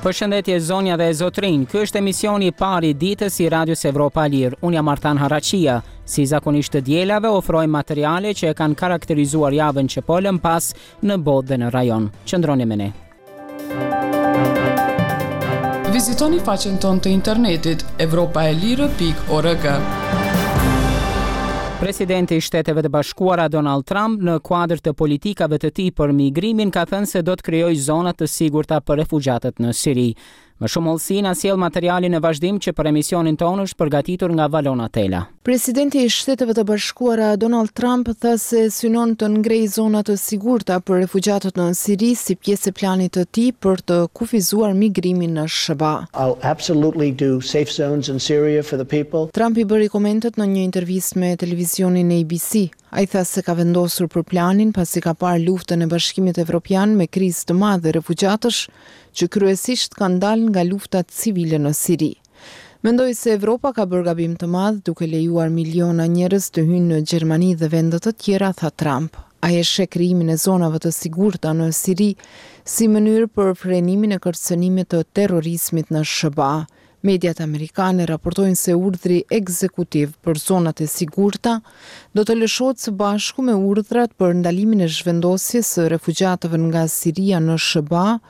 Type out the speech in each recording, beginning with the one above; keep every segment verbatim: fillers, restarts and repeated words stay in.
Përshëndetje, zonja dhe zotrinj. Ky është emisioni i parë i ditës i Radios Evropa e Lirë. Unë jam Artan Haraqia. Si zakonisht të dielave, ofrojmë materiale që e kanë karakterizuar javën që po lëm pas në botë dhe në rajon. Qëndroni me ne. Vizitoni faqen tonë të internetit evropaelire pikë org. Presidenti i Shteteve të Bashkuara, Donald Trump, në kuadër të politikave të tij për migrimin, ka thënë se do të krijojë zona të sigurta për refugjatët në Siri. Më shumë hollësi na sjell materiali në vazhdim, që për emisionin tonë është përgatitur nga Valona Tela. Presidenti i Shteteve të Bashkuara, Donald Trump, tha se synon të ngrejë zona të sigurta për refugjatët në Siri, si pjesë e planit të tij për të kufizuar migrimin në S H B A. I'll absolutely do safe zones in Syria for the people. Trump i bëri komentet në një intervistë me televizionin A B C. Ai tha se ka vendosur për planin pasi ka parë luftën e Bashkimit Evropian me krizë të madhe refugjatësh, që kryesisht kanë dalë nga lufta civile në Siri. "Mendoj se Evropa ka bërë gabim të madh duke lejuar miliona njerëz të hyjnë në Gjermani dhe vende të tjera", tha Trump. Ai e sheh krijimin e zonave të sigurta në Siri si mënyrë për frenimin e kërcënimit të terrorizmit në S H B A. Mediat amerikane raportojnë se urdhri ekzekutiv për zonat e sigurta do të lëshohet së bashku me urdhrat për ndalimin e zhvendosjes së refugjatëve nga Siria në S H B A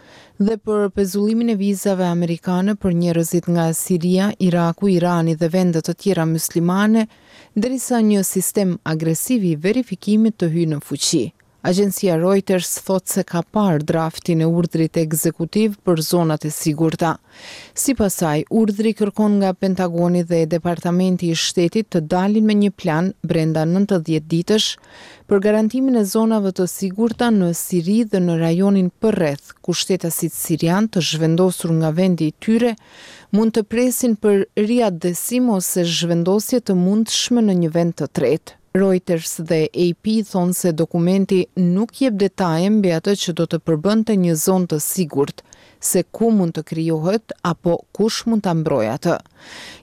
dhe për pezullimin e vizave amerikane për njerëzit nga Siria, Iraku, Irani dhe vende të tjera muslimane, derisa një sistem agresiv i verifikimit të hyjë në fuqi. Agjencia Reuters thot se ka parë draftin e urdhrit ekzekutiv për zonat e sigurta. Sipas saj, urdhri kërkon nga Pentagoni dhe Departamenti i Shtetit të dalin me një plan brenda nëntëdhjetë ditësh për garantimin e zonave të sigurta në Siri dhe në rajonin përreth, ku shtetasit sirian të zhvendosur nga vendi i tyre mund të presin për riatdhesim ose zhvendosje të mundshme në një vend të tretë. Reuters dhe A P thonë se dokumenti nuk jep detaje mbi atë që do të përbënte një zonë të sigurt, se ku mund të krijohet apo kush mund ta mbrojë atë.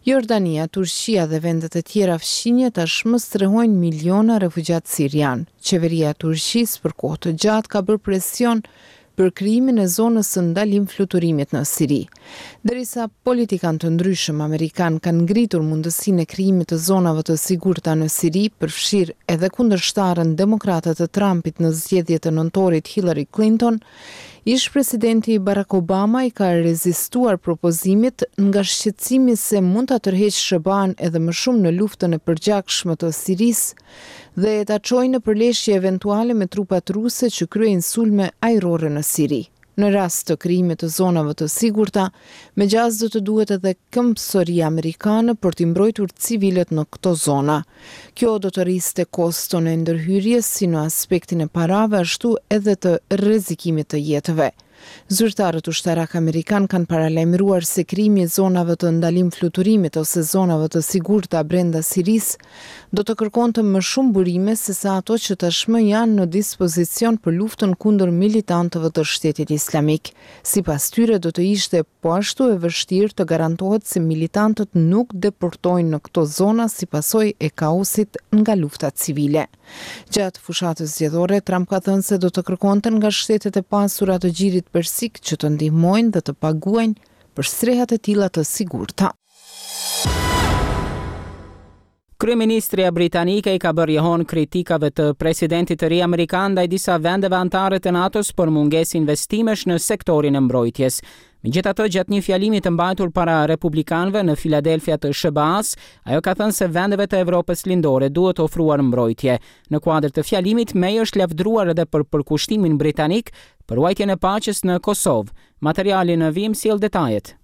Jordania, Turqia dhe vendet e tjera fqinje tashmë strehojnë miliona refugjat sirian. Qeveria e Turqisë për kohë të gjatë ka bërë presion për krijimin e zonës së ndalim fluturimit në Siri. Derisa politikan të ndryshëm amerikan kanë ngritur mundësinë e krijimit të zonave të sigurta në Siri, përfshirë edhe kundërshtaren demokrate të Trumpit në zgjedhjet e nëntorit, Hillary Clinton, ish presidenti Barack Obama i ka rezistuar propozimit nga shqetësimi se mund ta tërheqë S H B A-n edhe më shumë në luftën e përgjakshme të Sirisë dhe ta çojë në përleshje eventuale me trupat ruse që kryejnë sulme ajrore në Siri. Në rast të krijimit të zonave të sigurta, me gjasë do të duhet edhe këmbësoria amerikane për t'i mbrojtur civilët në këto zona. Kjo do të rriste koston e ndërhyrjes, si në aspektin e parave, ashtu edhe të rrezikimit të jetëve. Zyrtarët ushtarak amerikan kanë paralajmëruar se krijimi i zonave të ndalim fluturimit ose zonave të sigurta brenda Sirisë do të kërkonte më shumë burime se sa ato që tashmë janë në dispozicion për luftën kundër militantëve të Shtetit Islamik. Sipas tyre, do të ishte po ashtu e vështirë të garantohet se militantët nuk deportojnë në këto zona si pasojë e kaosit nga lufta civile. Gjatë fushatës zgjedhore, Trump ka thënë se do të kërkonte nga shtetet e pasura të Gjirit Persik që të ndihmojnë dhe të paguajnë për strehat e tilla të sigurta. Kryeministrja britanike i ka bërë jehon kritikave të presidentit të ri amerikan ndaj disa vendeve anëtare të NATO-s për mungesë investimesh në sektorin e mbrojtjes. Megjithatë, gjatë një fjalimi të mbajtur para republikanëve në Filadelfia të S H B A-s, ajo ka thënë se vendeve të Evropës Lindore duhet ofruar mbrojtje. Në kuadër të fjalimit, May është lavdruar edhe për përkushtimin britanik për ruajtjen e paqes në Kosovë. Materiali në vijim sjell detajet.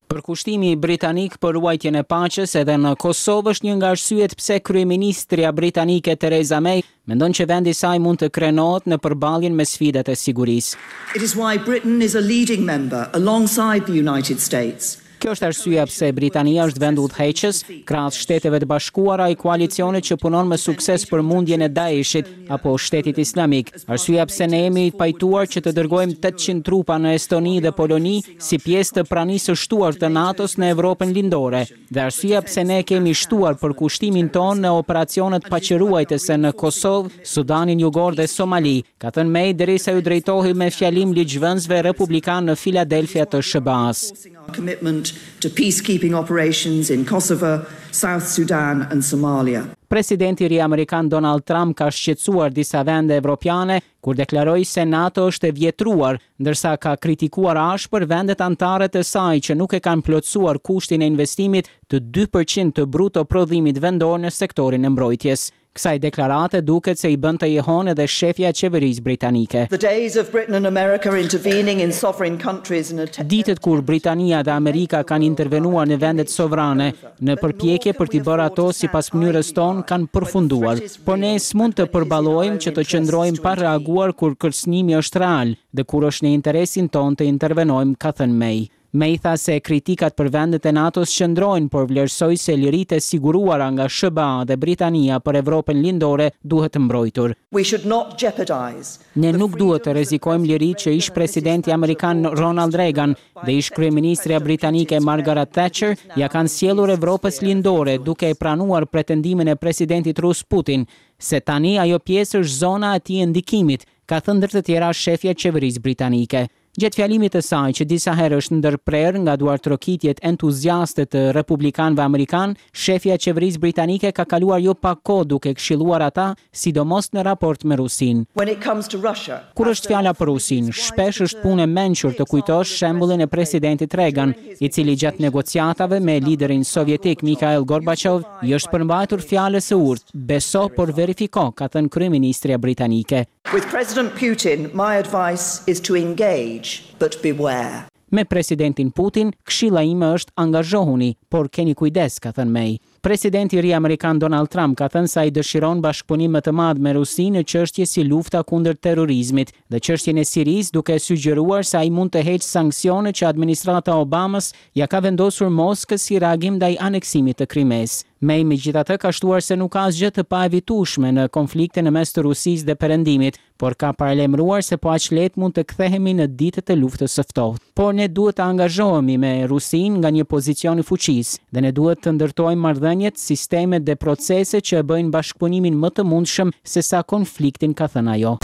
Përkushtimi britanik për ruajtjen e paqes edhe në Kosovë është një nga arsyet pse kryeministrja britanike, Theresa May, mendon që vendi i saj mund të krenohet në përballjen me sfidat e sigurisë. It is why Britain is a leading member alongside the United States. Kjo është arsyeja pse Britania është vend udhëheqës krahas Shteteve të Bashkuara i koalicionit që punon me sukses për mundjen e Daeshit apo Shtetit Islamik. Arsyeja pse ne jemi pajtuar që të dërgojmë tetëqind trupa në Estoni dhe Poloni si pjesë të pranisë së shtuar të NATO-s në Evropën Lindore, dhe arsyeja pse ne kemi shtuar përkushtimin tonë në operacionet paqeruajtëse në Kosovë, Sudanin Jugor dhe Somali, ka thënë May derisa ju drejtohej me fjalim ligjvënësve republikan në Filadelfia të S H B A-s. Commitment to peacekeeping operations in Kosovo, South Sudan and Somalia. Presidenti i ri amerikan Donald Trump ka shqetësuar disa vende evropiane kur deklaroi se NATO është e vjetruar, ndërsa ka kritikuar ashpër vendet anëtare të saj që nuk e kanë plotësuar kushtin e investimit të dy përqind të bruto prodhimit vendor në sektorin e mbrojtjes. Kësaj deklarate duket se i bën të jehon edhe shefja e qeverisë britanike. The days of Britain and America intervening in sovereign countries and att- Ditët kur Britania dhe Amerika kanë intervenuar në vendet sovrane në përpjekje për t'i bërë ato sipas mënyrës tonë kanë përfunduar, por ne s'mund të përballojmë që të qëndrojmë pa reaguar kur kërcënimi është real dhe kur është në interesin tonë të intervenojmë, ka thënë May. May tha se kritikat për vendet e NATO-s qëndrojnë, por vlerësoi se liritë e siguruara nga S H B A dhe Britania për Evropën Lindore duhet të mbrojtur. We should not jeopardize Ne nuk duhet të rrezikojmë liritë që ish presidenti amerikan Ronald Reagan dhe ish kryeministrja britanike Margaret Thatcher ja kanë sjellur Evropës Lindore duke e pranuar pretendimin e presidentit rus Putin se tani ajo pjesë është zona e tij e ndikimit, ka thënë ndër të tjera shefja e qeverisë britanike. Gjatë fjalimit të saj, që disa herë është ndërprerë nga duartrokitjet entuziaste të republikanëve amerikan, shefja e qeverisë britanike ka kaluar jo pak kohë duke këshilluar ata, sidomos në raport me Rusinë. When it comes to Russia, Kur është fjala për Rusinë, shpesh është punë e mençur të kujtosh shembullin e presidentit Reagan, i cili gjatë negociatave me liderin sovjetik Mikhail Gorbachev i është përmbajtur fjalës së urtë, beso por verifiko, ka thënë kryeministrja britanike. With President Putin, my advice is to engage, but beware. Me presidentin Putin, këshilla ime është angazhohuni, por keni kujdes, ka thënë May. Presidenti i ri amerikan Donald Trump ka thënë se ai dëshiron bashkëpunim më të madh me Rusinë në çështje si lufta kundër terrorizmit dhe çështjen e Sirisë, duke sugjeruar se ai mund të heqë sanksione që administrata Obamës ja ka vendosur Moskës si reagim ndaj aneksimit të Krimesë. May megjithatë ka shtuar se nuk ka asgjë të paevitueshme në konfliktin në mes të Rusisë dhe Perëndimit, por ka paralajmëruar se po aq lehtë mund të kthehemi në ditët e luftës së ftohtë. Por ne duhet të angazhohemi me Rusinë nga një pozicion i fuqisë dhe ne duhet të ndërtojmë marrëdhëniet, sistemet dhe proceset që e bëjnë bashkëpunimin më të mundshëm se sa konfliktin, ka thënë ajo.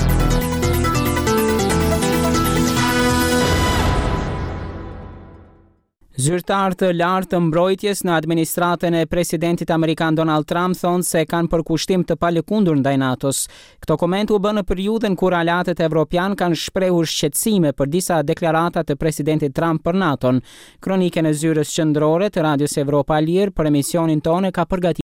Zyrtar të lartë të mbrojtjes në administratën e presidentit amerikan Donald Trump thonë se kanë përkushtim të palëkundur ndaj NATO-s. Këto komente u bënë në periudhën kur aleatët evropian kanë shprehur shqetësime për disa deklarata të presidentit Trump për NATO-n. Kronikën e zyrës qendrore të Radios Evropa e Lirë për emisionin tonë ka përgatitur